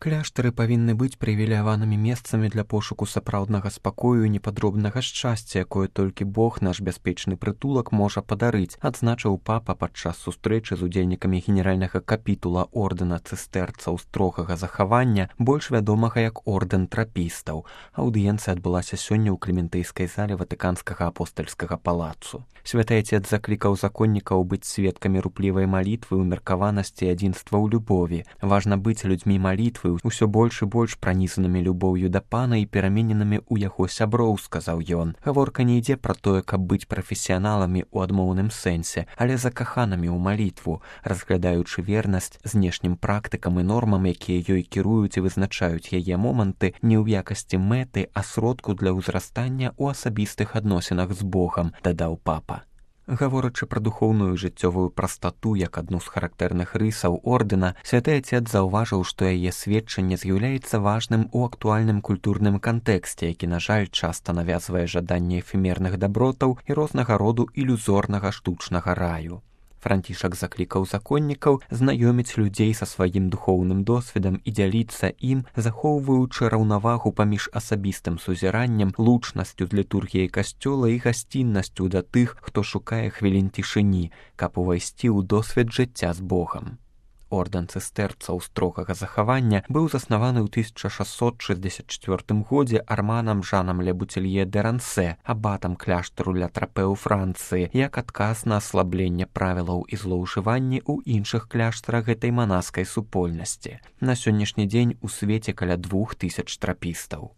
Кляштары павінны быць прывіляванымі месцамі для пошуку сапраўднага спакою і непадробнага шчасця, якое толькі Бог, наш бяспечны прытулак, можа падарыць, адзначыў папа падчас сустрэчы з удзельнікамі генеральнага капітула ордэна цыстэрцаў строгага захавання, больш вядомага як ордэн трапістаў. Аўдыенцыя адбылася сёння ў клементыйскай зале ватыканскага апостальскага палацу. Святы Отец заклікаў законнікаў быць сведкамі руплівай малітвы, умеркаванасці і адзінства ў любові. Важна быць людзьмі малітвы, усё больш і больш пранізанымі любоўю да пана і перамененымі ў яго сяброў, сказаў ён. Гаворка не ідзе пра тое, каб быць прафесіяналамі ў адмоўным сэнсе, але закаханымі ў малітву, разглядаючы вернасць знешнім практыкам і нормам, якія ёй кіруюць і вызначаюць яе моманты не ў якасці мэты, а сродку для ўзрастання ў асабістых адносінах з Богам, дадаў папа. Гаворачы пра духоўную жыццёвую прастату як адну з характэрных рысаў ордэна, святы Отец заўважыў, што яе сведчанне з'яўляецца важным у актуальным культурным кантэксце, які, на жаль, часта навязвае жаданне эфемерных дабротаў і рознага роду ілюзорнага штучнага раю. Францішак заклікаў законнікаў знаёміць людзей са сваім духоўным досведам і дзяліцца ім, захоўваючы раўнавагу паміж асабістым сузіраннем, лучнасцю з літургіяй касцёла і гасціннасцю да тых, хто шукае хвілін цішыні, каб увайсці ў досвед жыцця з Богам. Ордэн цыстэрцаў строгага захавання быў заснаваны ў 1664 годзе Арманам Жанам Ле Бутелье де Рансе, абатам кляштару Ля Трапе ў Францыі, як адказ на аслабленне правілаў і злоўжыванні ў іншых кляштарах гэтай манаскай супольнасці. На сённяшні дзень у свеце каля 2000 трапістаў.